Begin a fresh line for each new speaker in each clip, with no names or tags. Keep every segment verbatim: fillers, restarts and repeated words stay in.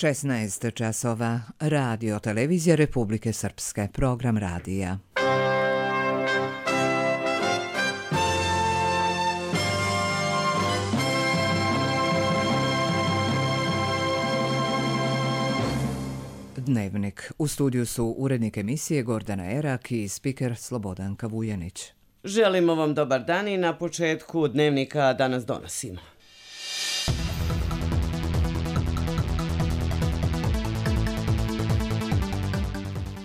šesnaest časova. Radio televizija Republike Srpske. Program radija. Dnevnik. U studiju su urednik emisije Gordana Erak i spiker Slobodanka Vujanić.
Želimo vam dobar dan i na početku dnevnika danas donosimo.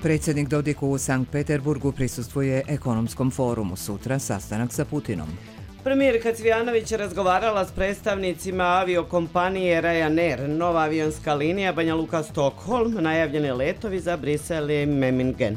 Predsjednik Dodik u Sankt Peterburgu prisustvuje ekonomskom forumu, sutra sastanak sa Putinom.
Premijerka Cvijanović razgovarala s predstavnicima aviokompanije Ryanair, nova avionska linija Banja Luka-Stockholm, najavljeni letovi za Brisel i Memmingen.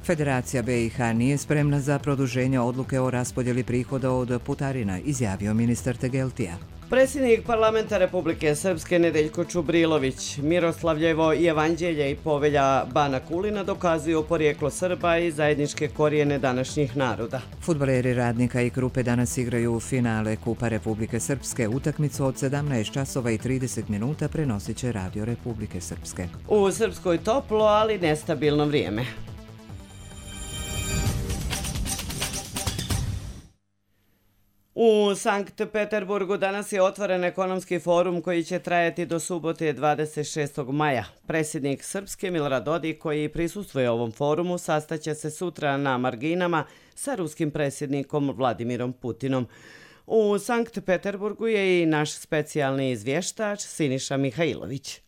Federacija B i H nije spremna za produženje odluke o raspodjeli prihoda od putarina, izjavio ministar Tegeltija.
Predsjednik parlamenta Republike Srpske Nedeljko Čubrilović, Miroslavljevo i Evanđelje i povelja Bana Kulina dokazuju porijeklo Srba i zajedničke korijene današnjih naroda.
Fudbaleri Radnika i Krupe danas igraju u finale Kupa Republike Srpske. Utakmicu od sedamnaest časova i trideset minuta prenosit će Radio Republike Srpske.
U Srpskoj toplo, ali nestabilno vrijeme. U Sankt Peterburgu danas je otvoren ekonomski forum koji će trajati do subote dvadeset šestog maja. Predsjednik Srpske Milorad Dodik, koji prisustvuje ovom forumu, sastaće se sutra na marginama sa ruskim predsjednikom Vladimirom Putinom. U Sankt Peterburgu je i naš specijalni izvještač Siniša Mihajlović.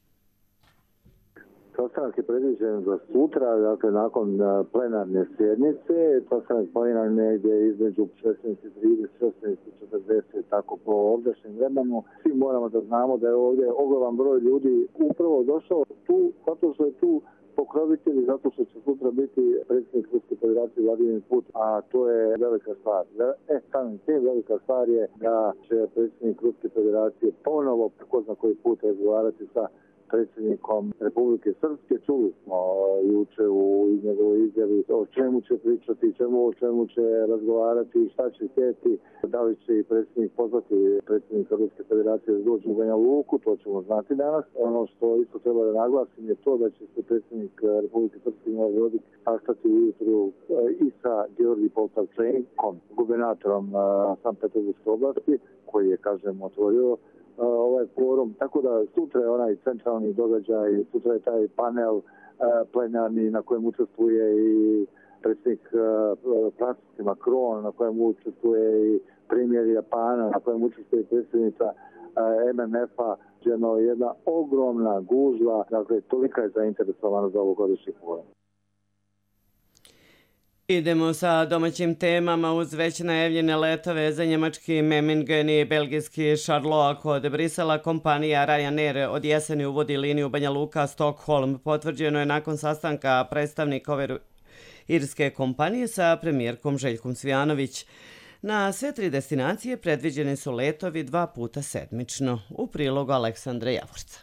Sastanak je predviđen za sutra, dakle nakon plenarne sjednice. Sastanak planiran negdje između šesnaest i trideset, šesnaest i četrdeset, tako po ovdašnjem vremenu. Svi moramo da znamo da je ovdje ogroman broj ljudi upravo došao tu, zato što je tu pokrovitelj, zato što će sutra biti predsjednik Ruske federacije Vladimir Putin, a to je velika stvar. E, samim tim velika stvar je da će predsjednik Ruske federacije ponovo, ko zna koji put, razgovarati sa predsjednikom Republike Srpske. Čuli smo juče u njegovoj izjavi o čemu će pričati, čemu, o čemu će razgovarati, šta će htjeti, da li će i predsjednik pozvati predsjednika Ruske federacije da dođe u Banja Luku, to ćemo znati danas. Ono što isto treba da naglasim je to da će se predsjednik Republike Srpske Milorad Dodik sastati ujutru i sa Georgi Poltavčenkom, gubernatorom Sankt Peterburgske oblasti, koji je, kažem, otvorio ovaj forum, tako da sutra je onaj centralni događaj, sutra je taj panel plenarni na kojem učestvuje i predsjednik Francuske Macron, na kojem učestvuje i premijer Japana, na kojem učestvuje i predsjednica M M F-a, jedna ogromna gužva, dakle tolika je zainteresovana za ovogodišnji forum.
Idemo sa domaćim temama uz već najavljene letove za njemački Memmingen i belgijski Charleroi kod Brisela. Kompanija Ryanair od jeseni uvodi liniju Banja Luka-Stockholm. Potvrđeno je nakon sastanka predstavnika ove irske kompanije sa premijerkom Željkom Cvijanović. Na sve tri destinacije predviđeni su letovi dva puta sedmično. U prilogu Aleksandra Javorca.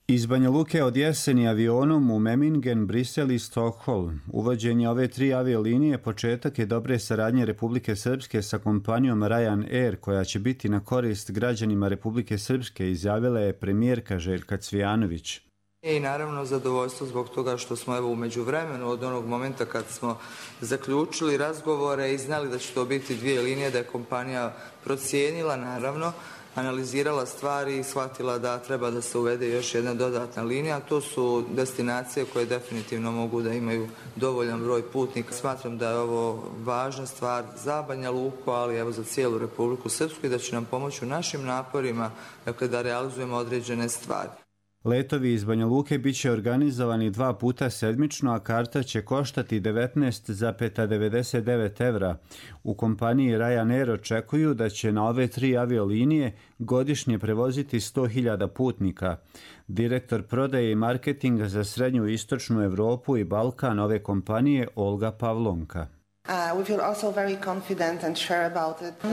Iz Banja Luke od jeseni avionom u Memmingen, Brisel i Stockholm. Uvođenje ove tri aviolinije početak je dobre saradnje Republike Srpske sa kompanijom Ryanair, koja će biti na korist građanima Republike Srpske, izjavila je premijerka Željka Cvijanović.
I naravno zadovoljstvo zbog toga što smo evo u međuvremenu od onog momenta kad smo zaključili razgovore i znali da će to biti dvije linije, da je kompanija procijenila naravno, analizirala stvari i shvatila da treba da se uvede još jedna dodatna linija. To su destinacije koje definitivno mogu da imaju dovoljan broj putnika. Smatram da je ovo važna stvar za Banja Luku, ali evo za cijelu Republiku Srpsku i da će nam pomoći u našim naporima, dakle, da realizujemo određene stvari.
Letovi iz Banja Luke bit će organizovani dva puta sedmično, a karta će koštati devetnaest zarez devedeset devet evra. U kompaniji Ryanair očekuju da će na ove tri aviolinije godišnje prevoziti sto hiljada putnika. Direktor prodaje i marketinga za srednju i istočnu Evropu i Balkan ove kompanije Olga Pavlonka.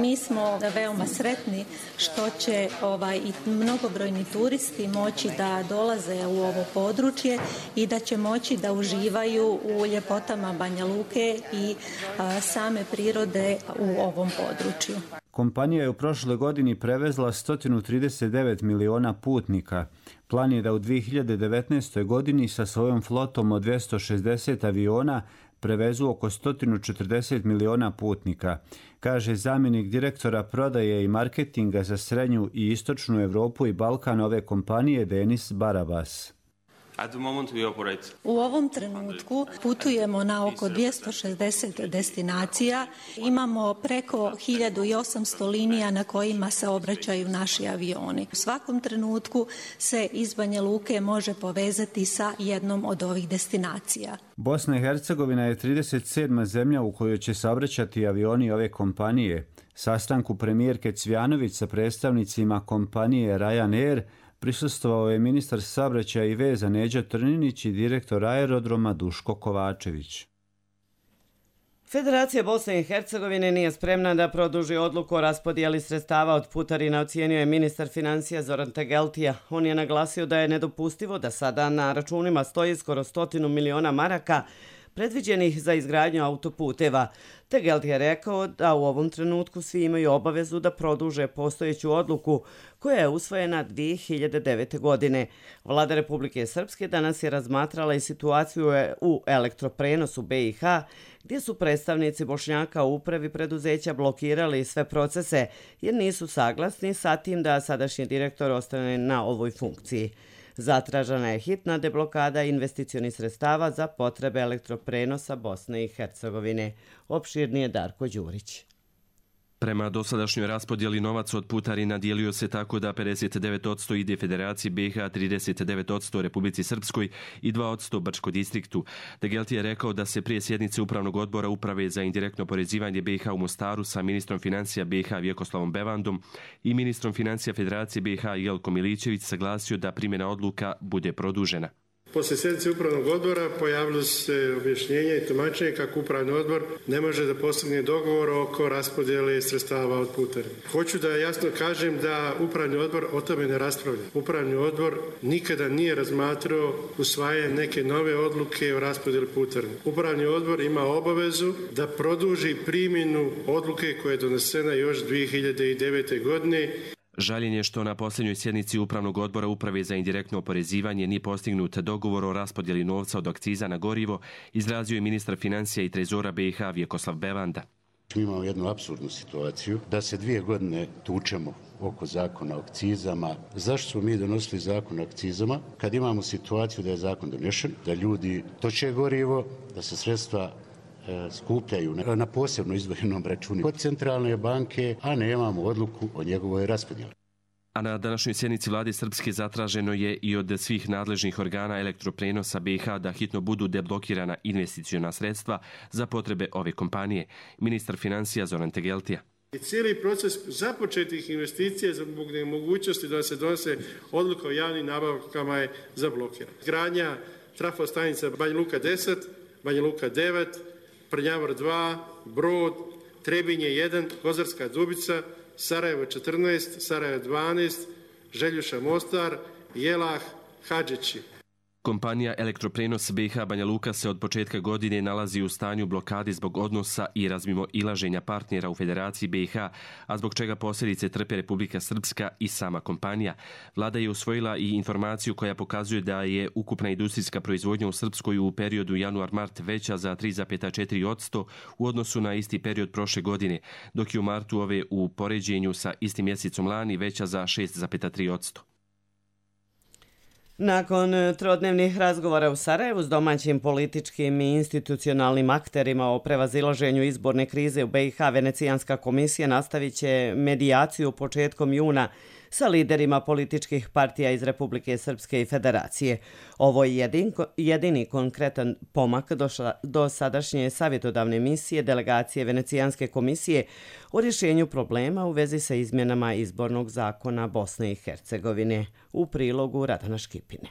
Mi smo veoma sretni što će ovaj, i mnogobrojni turisti moći da dolaze u ovo područje i da će moći da uživaju u ljepotama Banja Luke i a, same prirode u ovom području.
Kompanija je u prošloj godini prevezla sto trideset devet miliona putnika. Plan je da u dvije hiljade devetnaestoj. godini sa svojom flotom od dvjesto šezdeset aviona prevezu oko sto četrdeset miliona putnika, kaže zamjenik direktora prodaje i marketinga za srednju i istočnu Europu i Balkan ove kompanije Denis Barabas.
U ovom trenutku putujemo na oko dvjesto šezdeset destinacija. Imamo preko hiljadu osamsto linija na kojima se obraćaju naši avioni. U svakom trenutku se iz Banja Luke može povezati sa jednom od ovih destinacija.
Bosna i Hercegovina je trideset sedma zemlja u kojoj će saobraćati avioni ove kompanije. Sastanku premijerke Cvjanović sa predstavnicima kompanije Ryanair prisustvovao je ministar saobraćaja i veza Neđo Trninić i direktor aerodroma Duško Kovačević.
Federacija Bosne i Hercegovine nije spremna da produži odluku o raspodijeli sredstava od putarina, ocijenio je ministar financija Zoran Tegeltija. On je naglasio da je nedopustivo da sada na računima stoji skoro stotinu miliona maraka predviđenih za izgradnju autoputeva. Tegelt je rekao da u ovom trenutku svi imaju obavezu da produže postojeću odluku koja je usvojena dvije hiljade devete. godine. Vlada Republike Srpske danas je razmatrala i situaciju u elektroprenosu B i H, gdje su predstavnici Bošnjaka u upravi preduzeća blokirali sve procese jer nisu saglasni sa tim da sadašnji direktor ostane na ovoj funkciji. Zatražena je hitna deblokada investicionih sredstava za potrebe elektroprenosa Bosne i Hercegovine. Opširnije Darko Đurić.
Prema dosadašnjoj raspodjeli novac od putarina dijelio se tako da pedeset devet posto ide Federaciji B i H, trideset devet posto Republici Srpskoj i dva posto Brčko distriktu. Tegelti je rekao da se prije sjednice Upravnog odbora Uprave za indirektno porezivanje B i H u Mostaru sa ministrom financija B i H Vjekoslavom Bevandom i ministrom financija Federacije B i H Jelko Milićević saglasio da primjena odluka bude produžena.
Poslije sjednice Upravnog odbora pojavilo se objašnjenje i tumačenje kako Upravni odbor ne može da postigne dogovor oko raspodjele sredstava od putarina. Hoću da jasno kažem da Upravni odbor o tome ne raspravlja. Upravni odbor nikada nije razmatrao usvajanje neke nove odluke o raspodjeli putarina. Upravni odbor ima obavezu da produži primjenu odluke koja je donesena još dvije hiljade devete. godine.
Žaljenje je što na posljednjoj sjednici Upravnog odbora Uprave za indirektno oporezivanje nije postignut dogovor o raspodjeli novca od akciza na gorivo, izrazio je ministar financija i trezora B i H Vjekoslav Bevanda.
Mi imamo jednu apsurdnu situaciju da se dvije godine tučemo oko zakona o akcizama. Zašto smo mi donosili zakon o akcizama kad imamo situaciju da je zakon donešen, da ljudi toče gorivo, da se sredstva skupljaju na posebno izdvojenom računu kod centralne banke, a nemamo odluku o njegovoj raspodjeli.
A na današnjoj sjednici vlade Srpske zatraženo je i od svih nadležnih organa elektroprenosa B i H da hitno budu deblokirana investiciona sredstva za potrebe ove kompanije. Ministar financija Zoran Tegeltija.
I cijeli proces započetih investicija zbog nemogućnosti da se donose odluka o javnim nabavkama je zablokiran. Gradnja trafostanica Banja Luka deset, Banja Luka devet, Prnjavor dva, Brod, Trebinje jedan, Kozarska Dubica, Sarajevo četrnaest, Sarajevo dvanaest, Željuša Mostar, Jelah, Hadžići.
Kompanija Elektroprenos B i H Banja Luka se od početka godine nalazi u stanju blokade zbog odnosa i razmimo ilaženja partnera u Federaciji B i H, a zbog čega posljedice trpe Republika Srpska i sama kompanija. Vlada je usvojila i informaciju koja pokazuje da je ukupna industrijska proizvodnja u Srpskoj u periodu januar-mart veća za tri zarez četiri posto u odnosu na isti period prošle godine, dok je u martu ove u poređenju sa istim mjesecom lani veća za šest zarez tri posto.
Nakon trodnevnih razgovora u Sarajevu s domaćim političkim i institucionalnim akterima o prevazilaženju izborne krize u B i H, Venecijanska komisija nastavit će medijaciju početkom juna sa liderima političkih partija iz Republike Srpske i Federacije. Ovo je jedin, jedini konkretan pomak do, ša, do sadašnje savjetodavne misije delegacije Venecijanske komisije o rješenju problema u vezi sa izmjenama izbornog zakona Bosne i Hercegovine. U prilogu Radana Škipine.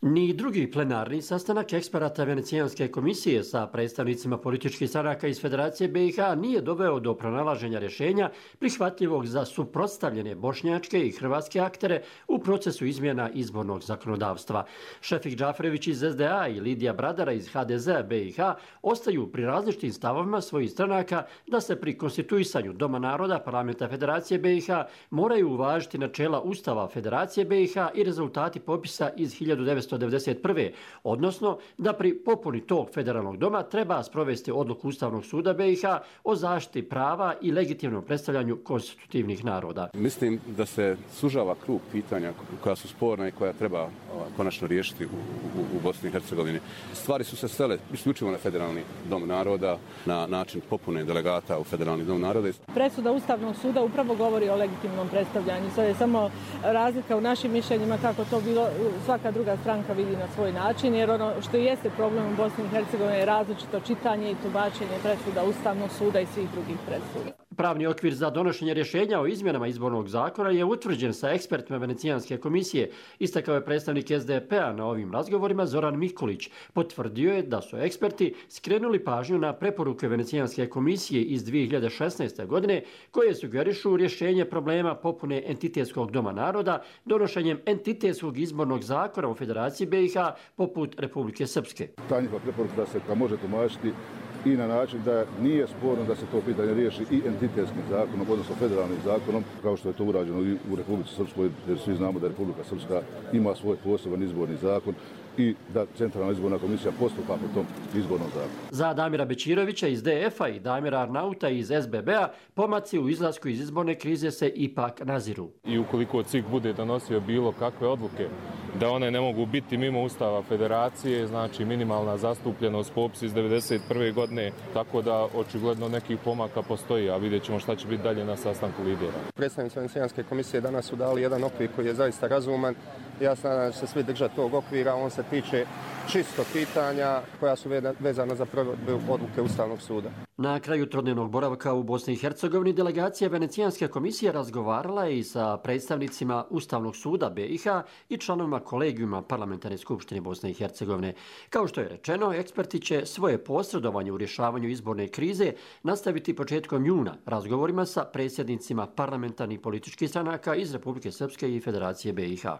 Ni drugi plenarni sastanak eksperata Venecijanske komisije sa predstavnicima političkih stranaka iz Federacije B i H nije doveo do pronalaženja rješenja prihvatljivog za suprotstavljene bošnjačke i hrvatske aktere u procesu izmjena izbornog zakonodavstva. Šefik Džaferević iz S D A i Lidija Bradara iz H D Z B i H ostaju pri različitim stavovima svojih stranaka da se pri konstituisanju Doma naroda Parlamenta Federacije B i H moraju uvažiti načela Ustava Federacije B i H i rezultati popisa iz hiljadu devetsto devedeset prve. Odnosno da pri popuni tog federalnog doma treba sprovesti odluku Ustavnog suda B i H o zaštiti prava i legitimnom predstavljanju konstitutivnih naroda.
Mislim da se sužava krug pitanja koja su sporna i koja treba konačno riješiti u, u, u Bosni i Hercegovini. Stvari su se svele isključivo na federalni dom naroda, na način popune delegata u federalni dom naroda.
Presuda Ustavnog suda upravo govori o legitimnom predstavljanju. Sad je samo razlika u našim mišljenjima kako to bilo svaka druga stranka vidi na svoj način, jer ono što jeste problem u Bosni i Hercegovini je različito čitanje i tumačenje presuda Ustavnog suda i svih drugih presuda.
Pravni okvir za donošenje rješenja o izmjenama izbornog zakona je utvrđen sa ekspertima Venecijanske komisije. Istakao je predstavnik S D P-a na ovim razgovorima Zoran Mikulić. Potvrdio je da su eksperti skrenuli pažnju na preporuke Venecijanske komisije iz dvije hiljade šesnaeste. godine koje sugerišu rješenje problema popune entitetskog doma naroda donošenjem entitetskog izbornog zakona u Federaciji B i H poput Republike Srpske.
Ta njihova preporuka da se može tumačiti i na način da nije sporno da se to pitanje riješi i entitetskim zakonom, odnosno federalnim zakonom, kao što je to urađeno i u Republici Srpskoj, jer svi znamo da Republika Srpska ima svoj poseban izborni zakon i da Centralna izborna komisija postupa po tom izbornom zakonu.
Za Damira Bećirovića iz D F-a i Damira Arnauta iz S B B-a pomaci u izlasku iz izborne krize se ipak naziru.
I ukoliko C I K bude donosio bilo kakve odluke da one ne mogu biti mimo Ustava Federacije, znači minimalna zastupljenost popis iz devedeset prve. godine, tako da očigledno nekih pomaka postoji, a vidjet ćemo šta će biti dalje na sastanku lidera.
Predstavnici Venecijanske komisije danas su dali jedan okvir koji je zaista razuman. Ja se nadam da će se svi držati tog okvira, on se tiče čisto pitanja koja su vezana za provedbu odluke Ustavnog suda.
Na kraju trodnevnog boravka u Bosni i Hercegovini delegacija Venecijanske komisije razgovarala i sa predstavnicima Ustavnog suda B i H i članovima kolegijuma Parlamentarne skupštine Bosne i Hercegovine. Kao što je rečeno, eksperti će svoje posredovanje u rješavanju izborne krize nastaviti početkom juna razgovorima sa predsjednicima parlamentarnih političkih stranaka iz Republike Srpske i Federacije B i H.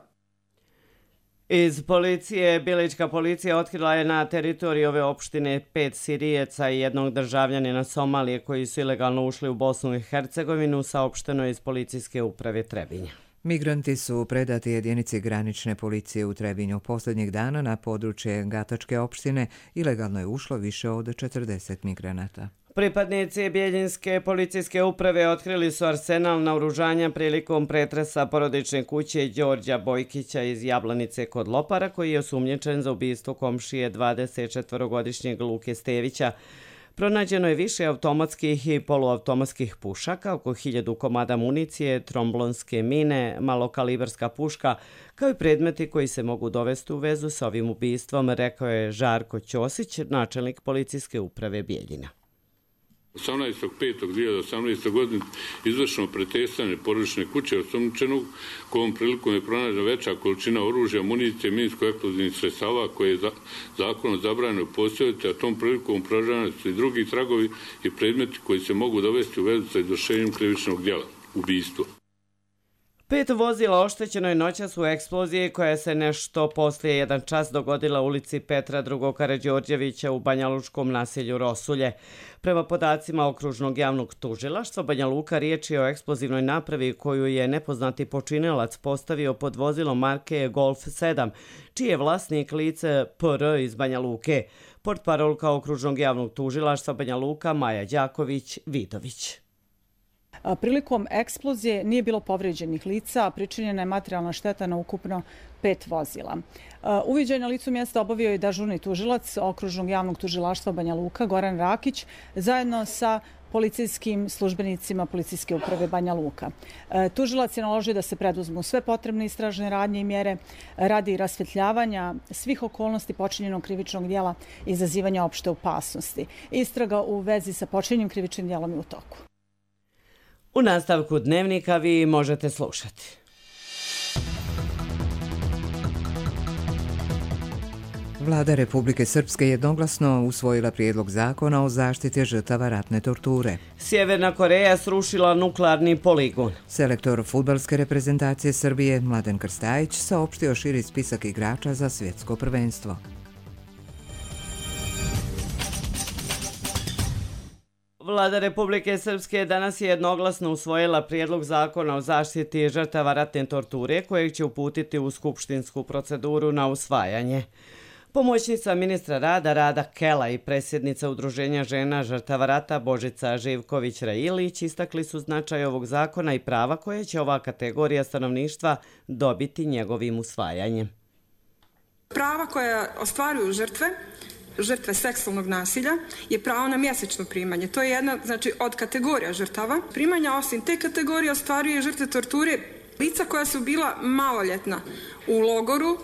Iz policije, Bilićka policija otkrila je na teritoriji ove opštine pet Sirijeca i jednog državljanina Somalije koji su ilegalno ušli u Bosnu i Hercegovinu, saopšteno iz policijske uprave Trebinja.
Migranti su predati jedinici granične policije u Trebinju. Posljednjih dana na područje Gatačke opštine ilegalno je ušlo više od četrdeset migranata.
Pripadnici Bijeljinske policijske uprave otkrili su arsenal naoružanja prilikom pretresa porodične kuće Đorđa Bojkića iz Jablanice kod Lopara, koji je osumnjičen za ubistvo komšije dvadesetčetvorogodišnjeg Luke Stevića. Pronađeno je više automatskih i poluautomatskih pušaka, oko hiljadu komada municije, tromblonske mine, malokalibarska puška, kao i predmeti koji se mogu dovesti u vezu sa ovim ubistvom, rekao je Žarko Ćosić, načelnik policijske uprave Bijeljina.
osamnaestog petog dvije hiljade osamnaeste. godine izvršeno pretresanje porodične kuće osumnjičenog, kojom prilikom je pronađena veća količina oružja, municije, minsko-eksplozivnih sredstava koje je za, zakonom zabranjeno posjedovati, a tom prilikom pronađeni su i drugi tragovi i predmeti koji se mogu dovesti u vezu sa izvršenjem krivičnog djela, ubistvo.
Pet vozila oštećeno je noćas u eksploziji koja se nešto poslije jedan čas dogodila u ulici Petra drugog. Karađorđevića u banjalučkom naselju Rosulje. Prema podacima okružnog javnog tužilaštva Banja Luka, riječ je o eksplozivnoj napravi koju je nepoznati počinilac postavio pod vozilom marke Golf sedam, čiji je vlasnik lice P R iz Banja Luke. Portparolka okružnog javnog tužilaštva Banja Luka Maja Đaković-Vidović.
Prilikom eksplozije nije bilo povrijeđenih lica, a pričinjena je materijalna šteta na ukupno pet vozila. Uviđaj na licu mjesta obavio je dežurni tužilac okružnog javnog tužilaštva Banja Luka Goran Rakić zajedno sa policijskim službenicima policijske uprave Banja Luka. Tužilac je naložio da se preduzmu sve potrebne istražne radnje i mjere radi rasvjetljavanja svih okolnosti počinjenog krivičnog djela i izazivanja opšte opasnosti. Istraga u vezi sa počinjenim krivičnim djelom je u toku.
U nastavku dnevnika vi možete slušati.
Vlada Republike Srpske jednoglasno usvojila prijedlog zakona o zaštiti žrtava ratne torture.
Sjeverna Koreja srušila nuklearni poligon.
Selektor fudbalske reprezentacije Srbije Mladen Krstajić saopštio širi spisak igrača za svjetsko prvenstvo.
Vlada Republike Srpske danas je jednoglasno usvojila prijedlog zakona o zaštiti žrtava ratne torture kojeg će uputiti u skupštinsku proceduru na usvajanje. Pomoćnica ministra rada Rada Kela i predsjednica Udruženja žena žrtava rata Božica Živković-Railić istakli su značaj ovog zakona i prava koje će ova kategorija stanovništva dobiti njegovim usvajanjem.
Prava koja ostvaruju žrtve, žrtve seksualnog nasilja, je pravo na mjesečno primanje. To je jedna, znači, od kategorija žrtava. Primanja osim te kategorije ostvaruje žrtve torture lica koja su bila maloljetna u logoru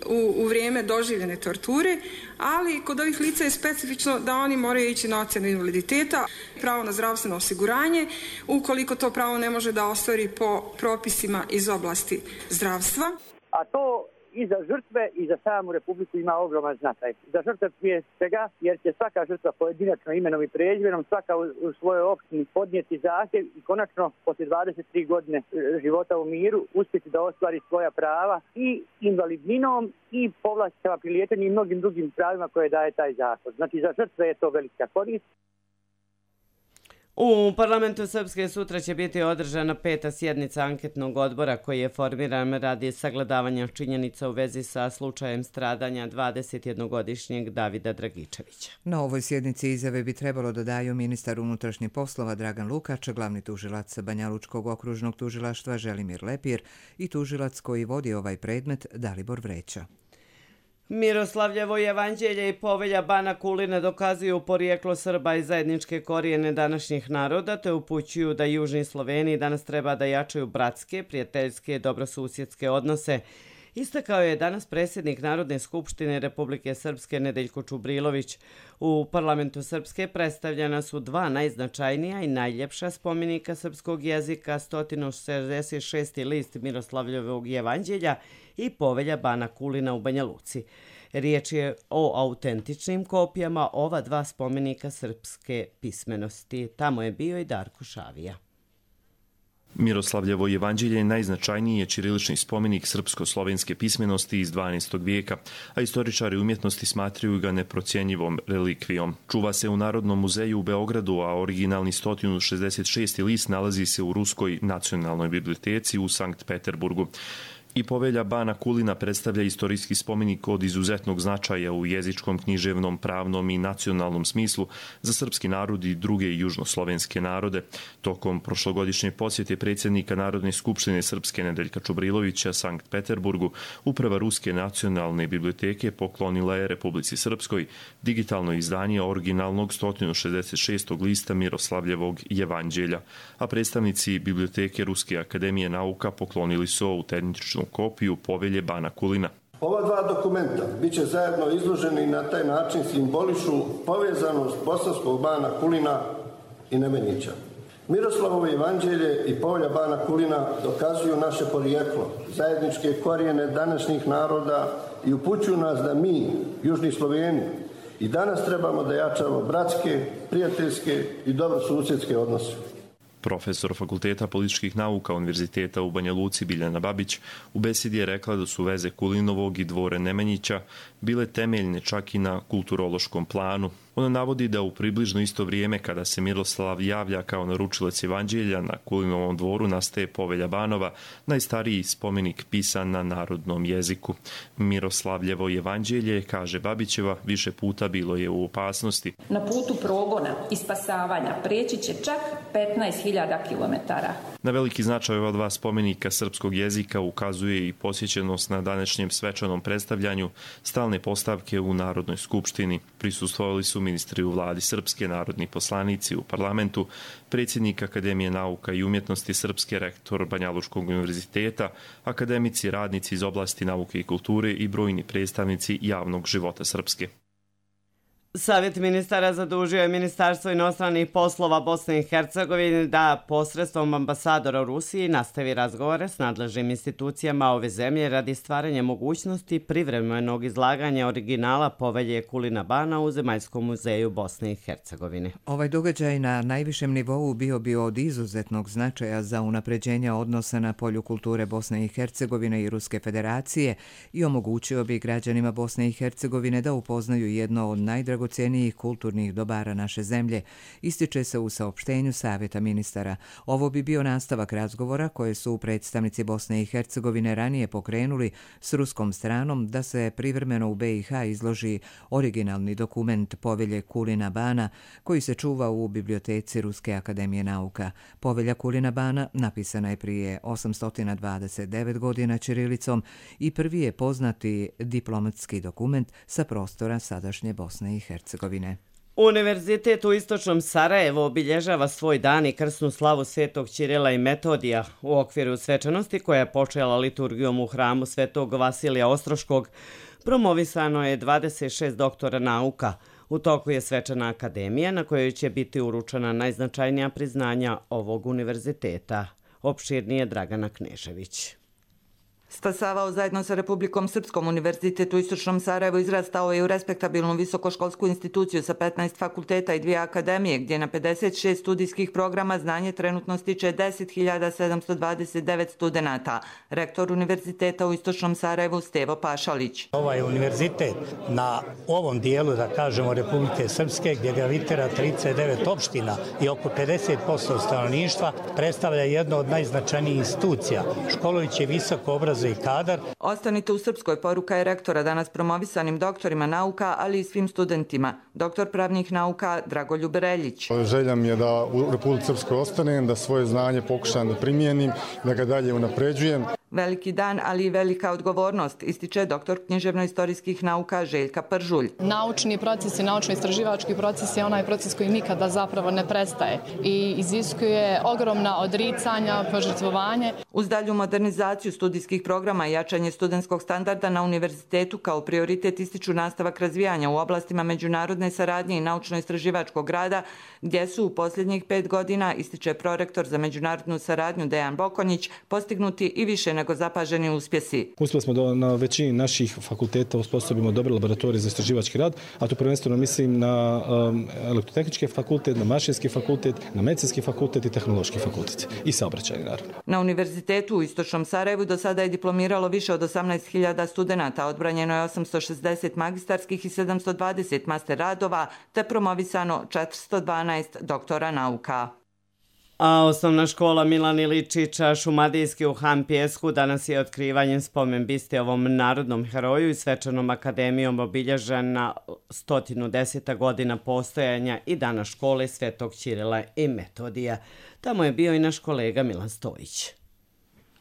u, u vrijeme doživljene torture, ali kod ovih lica je specifično da oni moraju ići na ocjenu invaliditeta, pravo na zdravstveno osiguranje, ukoliko to pravo ne može da ostvari po propisima iz oblasti zdravstva.
A to i za žrtve i za samu Republiku ima ogroman značaj. Za žrtve prije svega, jer će svaka žrtva pojedinačno imenom i prezimenom, svaka u, u svojoj opštini podnijeti zahtjev i konačno poslije dvadeset tri godine života u miru uspjeti da ostvari svoja prava i invalidninom i povlasticama pri liječenju i mnogim drugim pravima koje daje taj zakon. Znači za žrtve je to velika korist.
U parlamentu Srpske sutra će biti održana peta sjednica anketnog odbora koji je formiran radi sagledavanja činjenica u vezi sa slučajem stradanja dvadesetjednogodišnjeg Davida Dragičevića.
Na ovoj sjednici izjave bi trebalo da daju ministar unutrašnjih poslova Dragan Lukač, glavni tužilac Banjalučkog okružnog tužilaštva Želimir Lepir i tužilac koji vodi ovaj predmet Dalibor Vreća.
Miroslavljevo jevanđelje i povelja Bana Kulina dokazuju porijeklo Srba i zajedničke korijene današnjih naroda, te upućuju da južni Sloveniji danas treba da jačaju bratske, prijateljske, dobrosusjedske odnose. Istakao je danas predsjednik Narodne skupštine Republike Srpske Nedeljko Čubrilović. U parlamentu Srpske predstavljena su dva najznačajnija i najljepša spomenika srpskog jezika, sto šezdeset šesti list Miroslavljevog jevanđelja i povelja Bana Kulina u Banja Luci. Riječ je o autentičnim kopijama ova dva spomenika srpske pismenosti. Tamo je bio i Darko Šavija.
Miroslavljevo jevanđelje je najznačajniji je ćirilični spomenik srpsko-slovenske pismenosti iz dvanaestog vijeka, a istoričari umjetnosti smatraju ga neprocjenjivom relikvijom. Čuva se u Narodnom muzeju u Beogradu, a originalni sto šezdeset šesti list nalazi se u Ruskoj nacionalnoj biblioteci u Sankt Peterburgu. I povelja Bana Kulina predstavlja istorijski spomenik od izuzetnog značaja u jezičkom, književnom, pravnom i nacionalnom smislu za srpski narod i druge južnoslovenske narode. Tokom prošlogodišnje posjete predsjednika Narodne skupštine Srpske Nedeljka Čubrilovića Sankt Peterburgu, uprava Ruske nacionalne biblioteke poklonila je Republici Srpskoj digitalno izdanje originalnog sto šezdeset šestog lista Miroslavljevog jevanđelja, a predstavnici biblioteke Ruske akademije nauka poklonili su autentičnu kopiju povelje Bana Kulina.
Ova dva dokumenta bit će zajedno izloženi i na taj način simbolišu povezanost bosanskog Bana Kulina i Nemanjića. Miroslavovo evanđelje i povelja Bana Kulina dokazuju naše porijeklo, zajedničke korijene današnjih naroda i upućuju nas da mi, južni Sloveni, i danas trebamo da jačamo bratske, prijateljske i dobrosusjedske odnose.
Profesor Fakulteta političkih nauka Univerziteta u Banja Luci Biljana Babić u besedi je rekla da su veze Kulinovog i dvore Nemanjića bile temeljne čak i na kulturološkom planu. Ona navodi da u približno isto vrijeme kada se Miroslav javlja kao naručilac evanđelja na Kulinovom dvoru nastaje povelja Banova, najstariji spomenik pisan na narodnom jeziku. Miroslavljevo evanđelje, kaže Babićeva, više puta bilo je u opasnosti.
Na putu progona i spasavanja preći će čak petnaest hiljada kilometara.
Na veliki značaj ova dva spomenika srpskog jezika ukazuje i posjećenost na današnjem svečanom predstavljanju stalne postavke u Narodnoj skupštini. Prisustvovali su ministri u vladi Srpske, narodni poslanici u parlamentu, predsjednik Akademije nauka i umjetnosti Srpske, rektor Banjalučkog univerziteta, akademici, radnici iz oblasti nauke i kulture i brojni predstavnici javnog života Srpske.
Savjet ministara zadužio je Ministarstvo inostranih poslova Bosne i Hercegovine da posredstvom ambasadora u Rusiji nastavi razgovore s nadležnim institucijama ove zemlje radi stvaranja mogućnosti privremenog izlaganja originala povelje Kulina Bana u Zemaljskom muzeju Bosne i Hercegovine.
Ovaj događaj na najvišem nivou bio bi od izuzetnog značaja za unapređenje odnosa na polju kulture Bosne i Hercegovine i Ruske federacije i omogućio bi građanima Bosne i Hercegovine da upoznaju jedno od najdragocenijih cijenijih kulturnih dobara naše zemlje, ističe se u saopštenju Savjeta ministara. Ovo bi bio nastavak razgovora koje su predstavnici Bosne i Hercegovine ranije pokrenuli s ruskom stranom da se privremeno u be i ha izloži originalni dokument povelje Kulina Bana koji se čuva u biblioteci Ruske akademije nauka. Povelja Kulina Bana napisana je prije osamsto dvadeset devet godina ćirilicom i prvi je poznati diplomatski dokument sa prostora sadašnje Bosne i Hercegovine.
Univerzitet u Istočnom Sarajevu obilježava svoj dan i krsnu slavu Svetog Ćirila i Metodija. U okviru svečanosti koja je počela liturgijom u hramu Svetog Vasilija Ostroškog promovisano je dvadeset šest doktora nauka. U toku je svečana akademija na kojoj će biti uručena najznačajnija priznanja ovog univerziteta. Opširnije Dragana Knežević.
Stasavao zajedno sa Republikom Srpskom, Univerzitet u Istočnom Sarajevu izrastao je u respektabilnu visokoškolsku instituciju sa petnaest fakulteta i dvije akademije, gdje na pedeset šest studijskih programa znanje trenutno stiče deset hiljada sedamsto dvadeset devet studenata. Rektor Univerziteta u Istočnom Sarajevu Stevo Pašalić.
Ovaj univerzitet na ovom dijelu, da kažemo, Republike Srpske, gdje gravitira trideset devet opština i oko pedeset posto stanovništva, predstavlja jedno od najznačajnijih institucija, školujući visoko obrazovanje i kadar.
Ostanite u Srpskoj, poruka je rektora danas promovisanim doktorima nauka, ali i svim studentima. Doktor pravnih nauka Dragoljub Reljić.
Želja mi je da u Republici Srpskoj ostanem, da svoje znanje pokušam da primijenim, da ga dalje unapređujem.
Veliki dan, ali i velika odgovornost, ističe doktor književno-istorijskih nauka Željka Pržulj.
Naučni proces i naučno-istraživački proces je onaj proces koji nikada zapravo ne prestaje i iziskuje ogromna odricanja, požrtvovanje.
Uz dalju modernizaciju studijskih programa i jačanje studentskog standarda na univerzitetu kao prioritet ističu nastavak razvijanja u oblastima međunarodne saradnje i naučno-istraživačkog rada, gdje su u posljednjih pet godina, ističe prorektor za međunarodnu saradnju Dejan Bokonjić, postignuti i više nego zapaženi uspjesi.
Uspjeli smo da na većini naših fakulteta usposobimo dobre laboratorije za istraživački rad, a tu prvenstveno mislim na um, elektrotehnički fakultet, na mašinski fakultet, na medicinski fakultet i tehnološki fakultet i saobraćajni, naravno.
Na univerzitetu u Istočnom Sarajevu do sada je diplomiralo više od osamnaest hiljada studenata, odbranjeno je osamsto šezdeset magistarskih i sedamsto dvadeset master radova, te promovisano četiristo dvanaest doktora nauka.
A osnovna škola Milan Iličića Šumadijski u Han Pijesku danas je otkrivanjem spomen biste ovom narodnom heroju i svečanom akademijom obilježena sto deseta godina postojanja i dana škole Svetog Ćirila i Metodija. Tamo je bio i naš kolega Milan Stojić.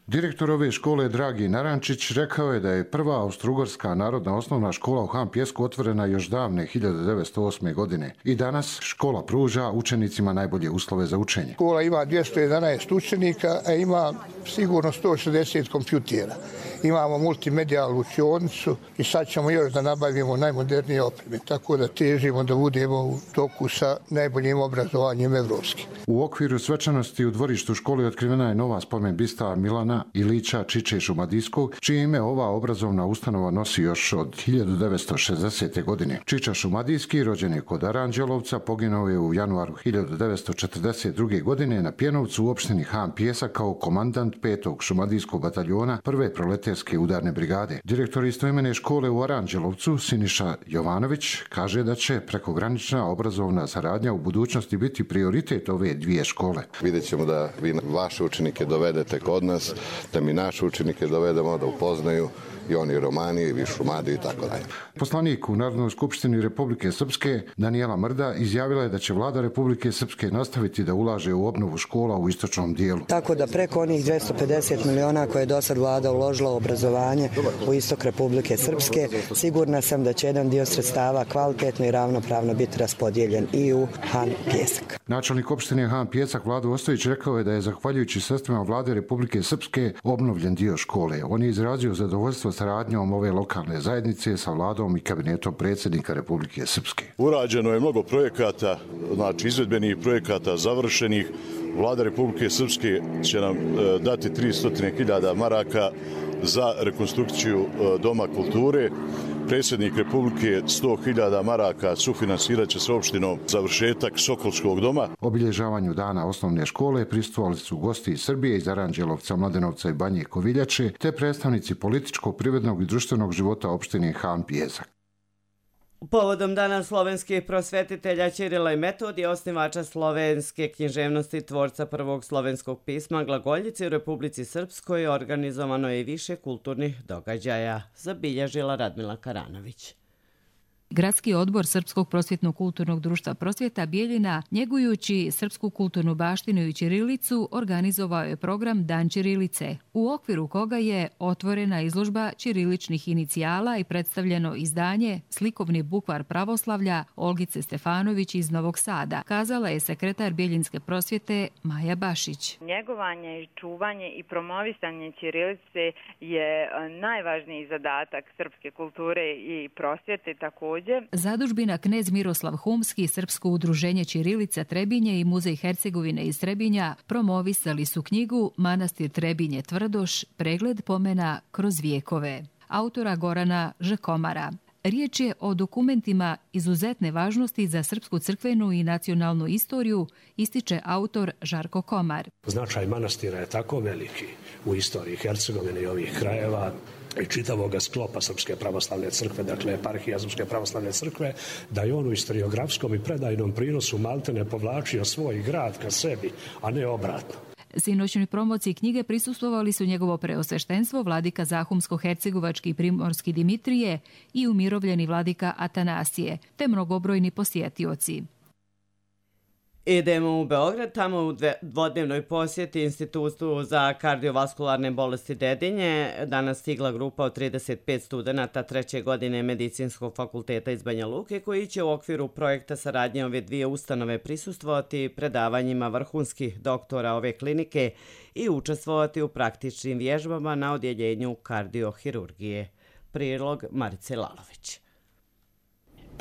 Direktor ove škole Dragi Narančić rekao je da je prva austrougarska narodna osnovna škola u Han Pijesku otvorena još davne hiljade devetsto osme. godine i danas škola pruža učenicima najbolje uslove za učenje.
Škola ima dvjesto jedanaest učenika, a ima sigurno sto šezdeset kompjutera. Imamo multimedijalnu učionicu i sad ćemo još da nabavimo najmodernije opreme, tako da težimo da budemo u toku sa najboljim obrazovanjem evropskim.
U okviru svečanosti u dvorištu škole otkrivena je nova spomen bista Milana Ilića Čiče Šumadijskog, čije ime ova obrazovna ustanova nosi još od hiljadu devetsto šezdesete. godine. Čiča Šumadijski, rođen je kod Aranđelovca, poginuo je u januaru hiljadu devetsto četrdeset druge. godine na Pjenovcu u opštini Han Pijesak kao komandant petog šumadijskog bataljona prve proletarske udarne brigade. Direktor istoimene škole u Aranđelovcu, Siniša Jovanović, kaže da će prekogranična obrazovna saradnja u budućnosti biti prioritet ove dvije škole.
Vidjet ćemo da vi vaše učenike dovedete kod nas, da mi naše učenike dovedemo da upoznaju i oni Romanije, i Šumadiju i tako dalje.
Poslanik u Narodnoj skupštini Republike Srpske Danijela Mrda izjavila je da će vlada Republike Srpske nastaviti da ulaže u obnovu škola u istočnom dijelu.
Tako da preko onih dvjesto pedeset miliona koje je do sad vlada uložila u obrazovanje u istok Republike Srpske, sigurna sam da će jedan dio sredstava kvalitetno i ravnopravno biti raspodijeljen i u Han Pijesak.
Načelnik opštine Han Pijesak Vlado Ostojić rekao je da je zahvaljujući sredstvima vlade Republike Srpske Srpske obnovljen dio škole. On je izrazio zadovoljstvo saradnjom ove lokalne zajednice sa vladom i kabinetom predsjednika Republike Srpske.
Urađeno je mnogo projekata, znači izvedbenih projekata završenih. Vlada Republike Srpske će nam dati tristo hiljada maraka za rekonstrukciju Doma kulture. Predsjednik Republike sto hiljada maraka sufinancirat će s opštinom završetak Sokolskog doma.
Obilježavanju dana osnovne škole prisustvovali su gosti iz Srbije, iz Aranđelovca, Mladenovca i Banje Koviljače, te predstavnici političkog, privrednog i društvenog života opštine Han Pjezak.
Povodom dana slovenskih prosvetitelja Ćirila i Metodija, osnivača slovenske književnosti, tvorca prvog slovenskog pisma glagoljice u Republici Srpskoj, organizovano je i više kulturnih događaja, zabilježila Radmila Karanović.
Gradski odbor Srpskog prosvjetno-kulturnog društva Prosvjeta Bijeljina, njegujući srpsku kulturnu baštinu i ćirilicu, organizovao je program Dan ćirilice, u okviru koga je otvorena izložba ćiriličnih inicijala i predstavljeno izdanje Slikovni bukvar pravoslavlja Olgice Stefanović iz Novog Sada, kazala je sekretar Bijeljinske prosvjete Maja Bašić.
Njegovanje, čuvanje i promovisanje ćirilice je najvažniji zadatak srpske kulture i prosvjete, također.
Zadužbina Knez Miroslav Humski, Srpsko udruženje Ćirilica Trebinje i Muzej Hercegovine iz Trebinja promovisali su knjigu Manastir Trebinje Tvrdoš, pregled pomena kroz vijekove, autora Gorana Žekomara. Riječ je o dokumentima izuzetne važnosti za srpsku crkvenu i nacionalnu istoriju, ističe autor Žarko Komar.
Značaj manastira je tako veliki u istoriji Hercegovine i ovih krajeva i čitavog sklopa Srpske pravoslavne crkve, dakle eparhija Srpske pravoslavne crkve, da je on u historiografskom i predajnom prinosu maltene povlačio svoj grad ka sebi, a ne obratno.
Sinoćnoj promociji knjige prisustvovali su njegovo preosveštenstvo vladika Zahumsko-hercegovački i primorski Dimitrije i umirovljeni vladika Atanasije, te mnogobrojni posjetioci.
Idemo u Beograd, tamo u dvodnevnoj posjeti Institutu za kardiovaskularne bolesti Dedinje danas stigla grupa od trideset pet studenata treće godine Medicinskog fakulteta iz Banja Luke, koji će u okviru projekta saradnje ove dvije ustanove prisustvovati predavanjima vrhunskih doktora ove klinike i učestvovati u praktičnim vježbama na odjeljenju kardiohirurgije. Prilog Marice Lalović.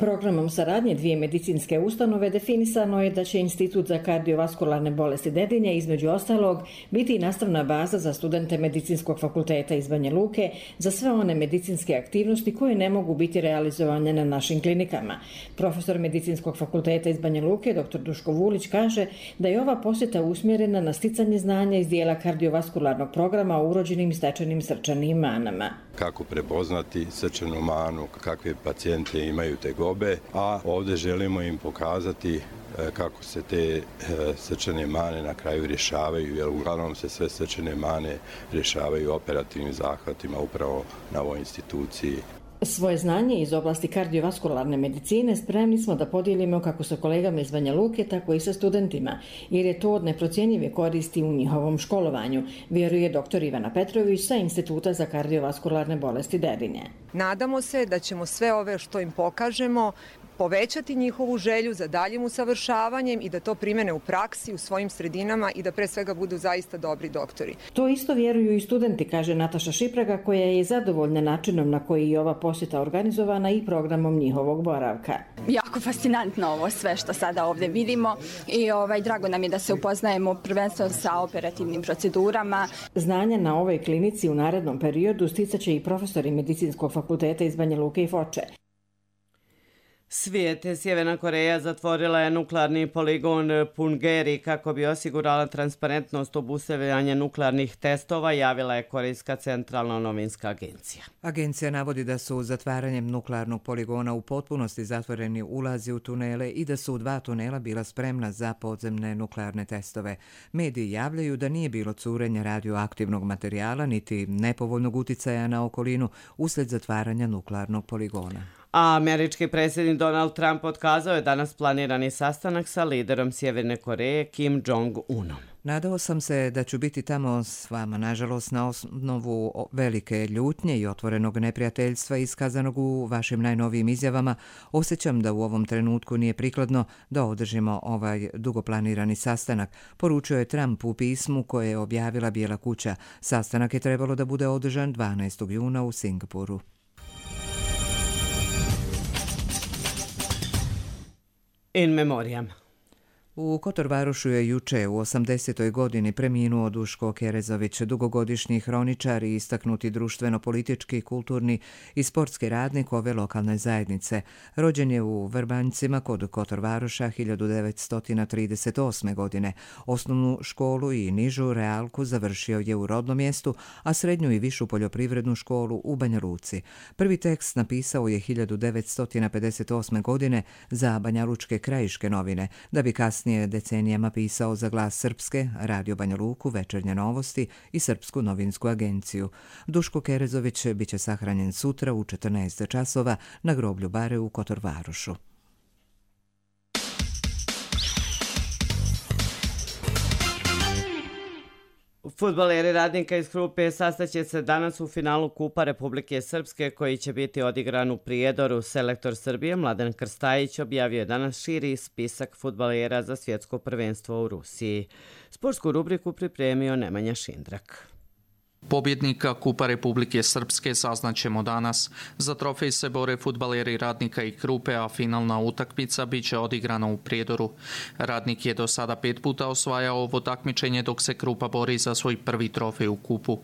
Programom saradnje dvije medicinske ustanove definisano je da će Institut za kardiovaskularne bolesti Dedinje između ostalog biti i nastavna baza za studente Medicinskog fakulteta iz Banja Luke za sve one medicinske aktivnosti koje ne mogu biti realizovane na našim klinikama. Profesor Medicinskog fakulteta iz Banja Luke, dr Duško Vulić, kaže da je ova posjeta usmjerena na sticanje znanja iz dijela kardiovaskularnog programa o urođenim i stečenim srčanim manama.
Kako prepoznati srčanu manu, kakve pacijente imaju tegobe, a ovdje želimo im pokazati kako se te srčane mane na kraju rješavaju, jer uglavnom se sve srčane mane rješavaju operativnim zahvatima upravo na ovoj instituciji.
Svoje znanje iz oblasti kardiovaskularne medicine spremni smo da podijelimo kako sa kolegama iz Banja Luke, tako i sa studentima, jer je to od neprocjenjive koristi u njihovom školovanju, vjeruje dr Ivana Petrović sa Instituta za kardiovaskularne bolesti Dedinje.
Nadamo se da ćemo sve ove što im pokažemo povećati njihovu želju za daljim usavršavanjem i da to primene u praksi, u svojim sredinama i da pre svega budu zaista dobri doktori.
To isto vjeruju i studenti, kaže Nataša Šipraga, koja je zadovoljna načinom na koji je ova posjeta organizovana i programom njihovog boravka.
Jako fascinantno ovo sve što sada ovdje vidimo i ovaj, drago nam je da se upoznajemo prvenstveno sa operativnim procedurama.
Znanja na ovoj klinici u narednom periodu sticaće i profesori Medicinskog fakulteta iz Banja Luke i Foče.
Svijet, Sjeverna Koreja zatvorila je nuklearni poligon Punggye-ri kako bi osigurala transparentnost obustavljanja nuklearnih testova, javila je Korejska centralna novinska agencija.
Agencija navodi da su zatvaranjem nuklearnog poligona u potpunosti zatvoreni ulazi u tunele i da su u dva tunela bila spremna za podzemne nuklearne testove. Mediji javljaju da nije bilo curenja radioaktivnog materijala niti nepovoljnog uticaja na okolinu uslijed zatvaranja nuklearnog poligona.
A američki predsjednik Donald Trump otkazao je danas planirani sastanak sa liderom Sjeverne Koreje Kim Jong-unom.
Nadao sam se da ću biti tamo s vama, nažalost, na osnovu velike ljutnje i otvorenog neprijateljstva iskazanog u vašim najnovijim izjavama. Osjećam da u ovom trenutku nije prikladno da održimo ovaj dugoplanirani sastanak, poručio je Trump u pismu koje je objavila Bijela kuća. Sastanak je trebalo da bude održan dvanaestog juna u Singapuru.
In memoriam.
U Kotorvarošu je juče u osamdesetoj godini preminuo Duško Kerezović, dugogodišnji hroničar i istaknuti društveno-politički, kulturni i sportski radnik ove lokalne zajednice. Rođen je u Vrbanjcima kod Kotorvaroša hiljadu devetsto trideset osme. godine. Osnovnu školu i nižu realku završio je u rodnom mjestu, a srednju i višu poljoprivrednu školu u Banja Luci. Prvi tekst napisao je hiljadu devetsto pedeset osme. godine za banjalučke krajiške novine, da bi kasnije decenijama pisao za Glas Srpske, Radio Banja Luku, Večernje novosti i Srpsku novinsku agenciju. Duško Kerezović biće sahranjen sutra u četrnaest časova na groblju Bare u Kotorvarošu.
Fudbaleri Radnika iz Krupe sastaće se danas u finalu Kupa Republike Srpske koji će biti odigran u Prijedoru. Selektor Srbije Mladen Krstajić objavio je danas širi spisak fudbalera za svjetsko prvenstvo u Rusiji. Sportsku rubriku pripremio Nemanja Šindrak.
Pobjednika Kupa Republike Srpske saznaćemo danas. Za trofej se bore fudbaleri Radnika i Krupe, a finalna utakmica biće odigrana u Prijedoru. Radnik je do sada pet puta osvajao ovo takmičenje, dok se Krupa bori za svoj prvi trofej u kupu.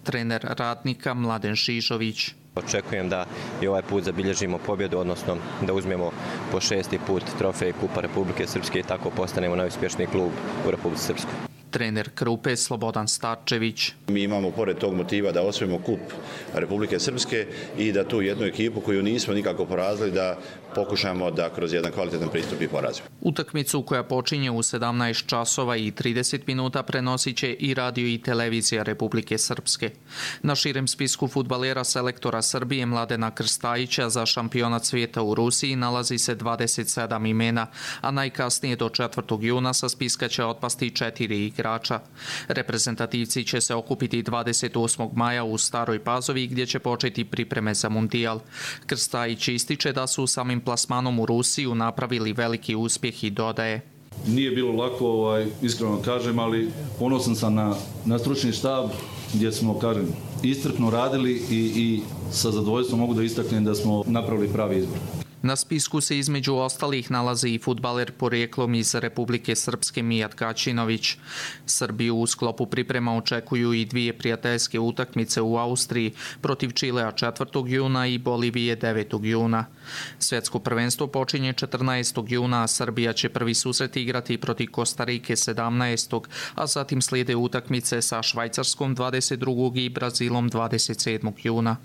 Trener Radnika Mladen Žižović.
Očekujem da i ovaj put zabilježimo pobjedu, odnosno da uzmemo po šesti put trofej Kupa Republike Srpske i tako postanemo najuspješniji klub u Republici Srpskoj.
Trener Krupe Slobodan Starčević.
Mi imamo pored tog motiva da osvojimo kup Republike Srpske i da tu jednu ekipu koju nismo nikako porazili da pokušamo da kroz jedan kvalitetan pristup i porazimo.
Utakmicu koja počinje u sedamnaest časova i trideset minuta prenosit će i radio i televizija Republike Srpske. Na širem spisku fudbalera selektora Srbije Mladena Krstajića za šampionat svijeta u Rusiji nalazi se dvadeset sedam imena, a najkasnije do četvrtog juna sa spiska će otpasti četiri igrača. Reprezentativci će se okupiti dvadeset osmog maja u Staroj Pazovi gdje će početi pripreme za mundijal. Krstajić ističe da su samim plasmanom u Rusiju napravili veliki uspjeh i dodaje.
Nije bilo lako, ovaj, iskreno kažem, ali ponosan sam na, na stručni štab gdje smo, kažem, iscrpno radili i, i sa zadovoljstvom mogu da istaknem da smo napravili pravi izbor.
Na spisku se između ostalih nalazi i fudbaler porijeklom iz Republike Srpske Mijat Kačinović. Srbiju u sklopu priprema očekuju i dvije prijateljske utakmice u Austriji protiv Čilea četvrtog juna i Bolivije devetog juna. Svjetsko prvenstvo počinje četrnaestog juna, a Srbija će prvi susret igrati protiv Kostarike sedamnaestog a zatim slijede utakmice sa Švajcarskom dvadeset drugog i Brazilom dvadeset sedmog juna.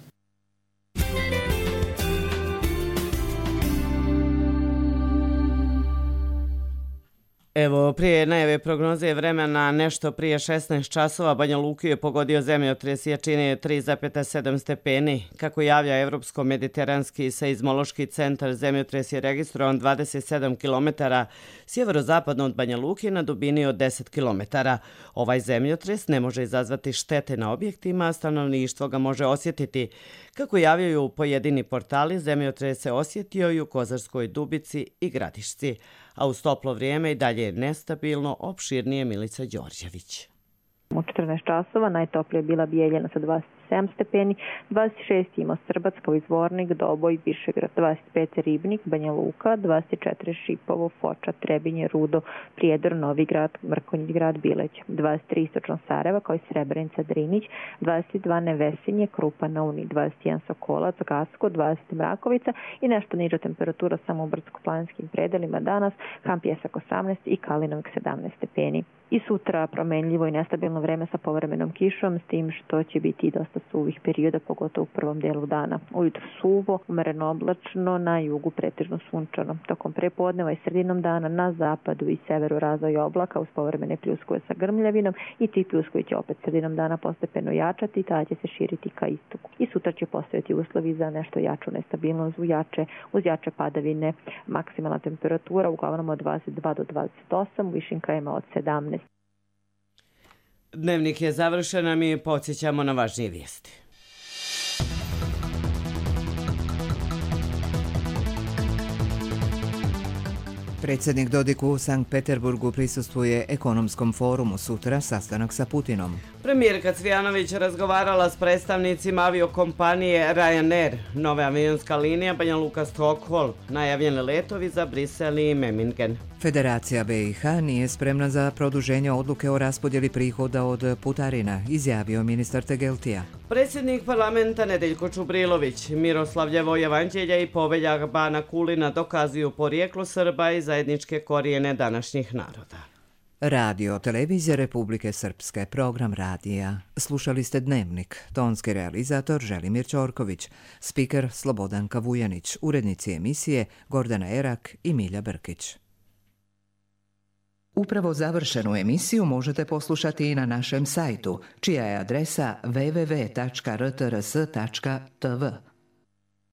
Evo, prije najave prognoze vremena nešto prije šesnaest časova Banja Luku je pogodio zemljotres jačine tri zarez sedam stepeni. Kako javlja Evropsko-mediteranski seizmološki centar, zemljotres je registrovan dvadeset sedam kilometara sjeverozapadno od Banja Luke na dubini od deset kilometara. Ovaj zemljotres ne može izazvati štete na objektima, a stanovništvo ga može osjetiti. Kako javljaju pojedini portali, zemljotres se osjetio i u Kozarskoj Dubici i Gradišci, a uz toplo vrijeme i dalje je nestabilno, opširnije Milica Đorđević.
U četrnaest časova najtoplije je bila Bijeljina sa dvadeset sedam stepeni, dvadeset šest ima Srbac kao Izvornik, Doboj, Višegrad, dvadeset pet Ribnik, Banja Luka, dvadeset četiri Šipovo, Foča, Trebinje, Rudo, Prijedor, Novi Grad, Mrkonjić Grad, Bileć, dvadeset tri Istočno Sarajeva kao i Srebrenica, Drinić, dvadeset dva Nevesinje, Krupa na Uni, dvadeset jedan Sokolac, Gasko, dvadeset Mrakovica i nešto niža temperatura samo u brdsko-planinskim predelima danas, Hampjesak osamnaest i Kalinovik sedamnaest stepeni. I sutra promenljivo i nestabilno vreme sa povremenom kišom, s tim što će biti dosta dosta suvih perioda, pogotovo u prvom delu dana. Ujutro suvo, umereno oblačno, na jugu pretežno sunčano. Tokom prepodneva i sredinom dana na zapadu i severu razvoj oblaka uz povremene pljuskove sa grmljavinom i ti pljuskovi će opet sredinom dana postepeno jačati i tada će se širiti ka istoku. I sutra će postojati uslovi za nešto jaču nestabilnost uz jače, uz jače padavine. Maksimalna temperatura uglavnom od dvadeset dva do dvadeset osam, u višim krajevima od sedamnaest.
Dnevnik je završen, a mi podsjećamo na važnije vijesti.
Predsjednik Dodik u Sankt Peterburgu prisustvuje ekonomskom forumu, sutra sastanak sa Putinom.
Premijerka Cvijanović razgovarala s predstavnicima aviokompanije Ryanair, nova avionska linija Banja Luka-Stockholm, najavljeni letovi za Brisel i Memmingen.
Federacija B i H nije spremna za produženje odluke o raspodjeli prihoda od putarina, izjavio ministar Tegeltija.
Predsjednik parlamenta Nedeljko Čubrilović, Miroslavljevo evanđelje i poveljak Bana Kulina dokazuju porijeklo Srba i zajedničke korijene današnjih naroda.
Radio Televizija Republike Srpske, program radija. Slušali ste Dnevnik, tonski realizator Želimir Ćorković, spiker Slobodanka Vujanić, urednici emisije Gordana Erak i Milja Brkić. Upravo završenu emisiju možete poslušati i na našem sajtu, čija je adresa w w w tačka r t r s tačka t v.